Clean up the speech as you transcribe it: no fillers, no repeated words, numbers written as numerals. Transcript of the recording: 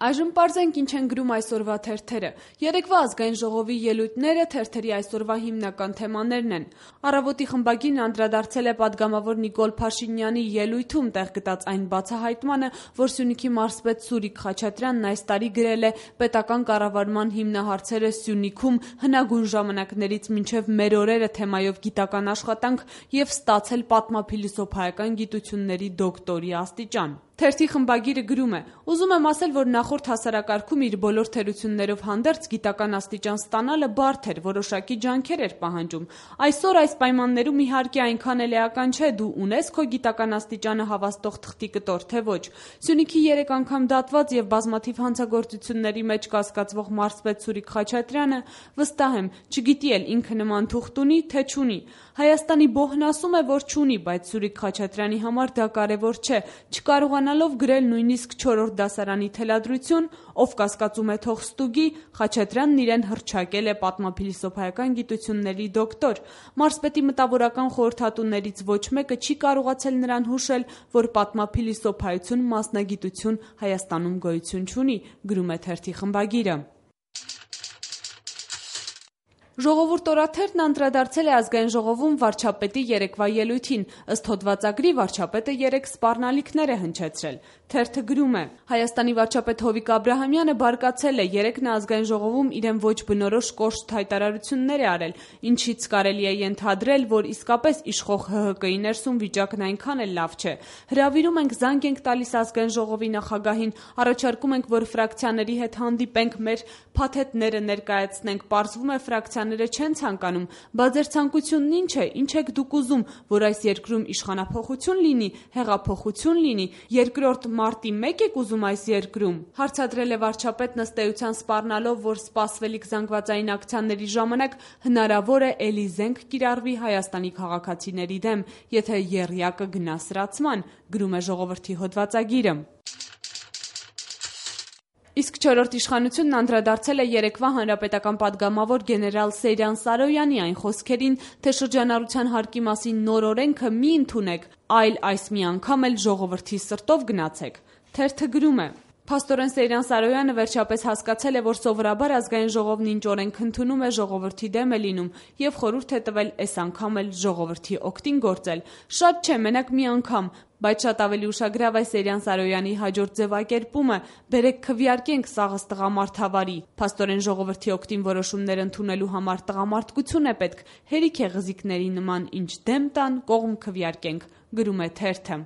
Այժմ պարզենք ինչ են գրում այսօրվա թերթերը։ Երեկվա ազգային ժողովի ելույթները թերթերի այսօրվա հիմնական թեմաներն են։ Առավոտի խմբագիրն անդրադարձել է պատգամավոր Նիկոլ Փաշինյանի ելույթում տեղ գտած այն բացահայտմանը, որ Սյունիքի մարզպետ Սուրիկ Խաչատրյանն այս տարի գրել է պետական կառավարման հիմնահարցերը Սյունիքում հնագույն ժամանակներից մինչև մեր օրերը թեմայով գիտական աշխատանք եւ ստացել պատմափիլիսոփայական գիտությունների դոկտորի աստիճան։ Թերթի խմբագիրը գրում է. «Ուզում եմ ասել, որ նախորդ հասարակարգում իր բոլոր թերություններով հանդերձ գիտական աստիճան ստանալը բարդ էր, որոշակի ջանքեր էր պահանջում։ Այսօր այս պայմաններում իհարկե այնքան էլ էական չէ, դու ունես քո գիտական աստիճանը հավաստող թղթի կտոր, թե ոչ։ Սյունիքի 3 անգամ դատված եւ բազմաթիվ հանցագործությունների մեջ կասկածվող մարզպետ Սուրիկ Խաչատրյանը, վստահ եմ, չգիտի էլ ինքը նման թուղթ ունի, թե չունի։ Հայաստանի բոհն ասում է, որ չունի, բայց Սուրիկ Խաչատրյանի համար դա կարևոր չէ, չկարողանալով գրել նույնիսկ 4-րդ դասարանի թելադրություն, ով կասկածում է թող ստուգի, Խաչատրյանն իրեն հռչակել է պատմափիլիսոփայական գիտությունների դոկտոր։ Մարզպետի մտավորական խորհրդատուներից ոչ մեկը չի կարողացել նրան հուշել, որ պատմափիլիսոփայություն մասնագիտություն Հայաստանում գոյություն չունի», գրում է թերթի խմբագիրը։ Ժողովուրդ օրաթերթն անդրադարձել է ազգային ժողովում վարչապետի երեկվա ելույթին։ Ըստ հոդվածագրի վարչապետը 3 սպառնալիքներ է հնչեցրել։ Թերթը գրում է. Հայաստանի վարչապետ Հովիկ Աբրահամյանը բարկացել է, երեկ նա ազգային ժողովում իրեն ոչ բնորոշ կոշտ հայտարարություններ է արել, ինչից կարելի է ենթադրել, որ իսկապես իշխող ՀՀԿ-ի ներսում վիճակն այնքան էլ լավ չէ։ Հրավիրում ենք, զանգ ենք տալիս ազգային ժողովի նախագահին, առաջարկում ենք, որ ֆրակցիաների հետ հանդիպենք, մեր փաթեթները ներկայացնենք, պարզվում է ֆրակցիաները չեն ցանկանում, բա ձեր ցանկությունն ինչ է, ինչ եք դուք ուզում, որ այս երկրում իշխանափոխություն լինի, հեղափոխություն լինի, երկրորդ մարտի 1 եք ուզում այս երկրում։ Հարցադրել է վարչապետն ըստ էության սպառնալով, որ սպասվելիք զանգվածային ակցիաների ժամանակ հնարավոր է էլի զենք կիրառվի Հայաստանի քաղաքացիների դեմ, եթե եռյակը գնա սրացման, գրում է ժողովրդի հոդվածագիրը։ Իսկ 4-րդ իշխանությունն անդրադարձել է երեկվա հանրապետական պատգամավոր գեներալ Սեյրան Սարոյանի այն խոսքերին, թե շրջանառության հարկի մասին նոր օրենքը մի ընդունեք, այլ այս մի անգամ էլ ժողովրդի սրտով գնացեք։ Թերթը գրում է. Փաստորեն Սեյրան Սարոյանը վերջապես հասկացել է, որ սովորաբար ազգային ժողովն ինչ օրենք ընդունում է, ժողովրդի դեմ է լինում եւ խորհուրդ է տվել այս անգամ էլ ժողովրդի օգտին գործել։ Շատ չէ, մենակ մի անգամ, բայց շատ ավելի ուշագրավ է Սեյրան Սարոյանի հաջորդ ձևակերպումը. «Բերեք քվեարկենք սաղս տղամարդ հավարի»։ Փաստորեն ժողովրդի օգտին որոշումներ ընդունելու համար տղամարդկություն է պետք, հերիք է ղզիկների նման ինչ դեմ տան, կողմ քվեարկենք, գրում է թերթը։